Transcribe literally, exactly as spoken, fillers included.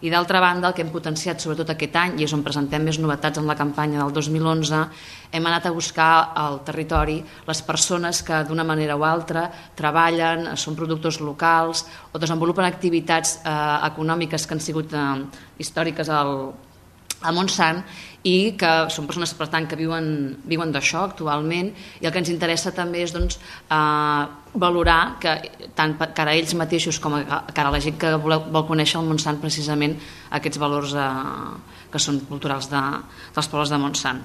I d'altra banda, el que hem potenciat sobretot aquest any, i és on presentem més novetats en la campanya del dos mil onze, hem anat a buscar al territori les persones que d'una manera o altra treballen, són productors locals o desenvolupen activitats eh, econòmiques que han sigut eh, històriques al a Montsant i que són persones per tant que viuen, viuen d'això actualment, i el que ens interessa també és doncs, eh, valorar que tant cara a ells mateixos com a cara a la gent que vol, vol conèixer el Montsant precisament aquests valors eh, que són culturals de, dels pobles de Montsant.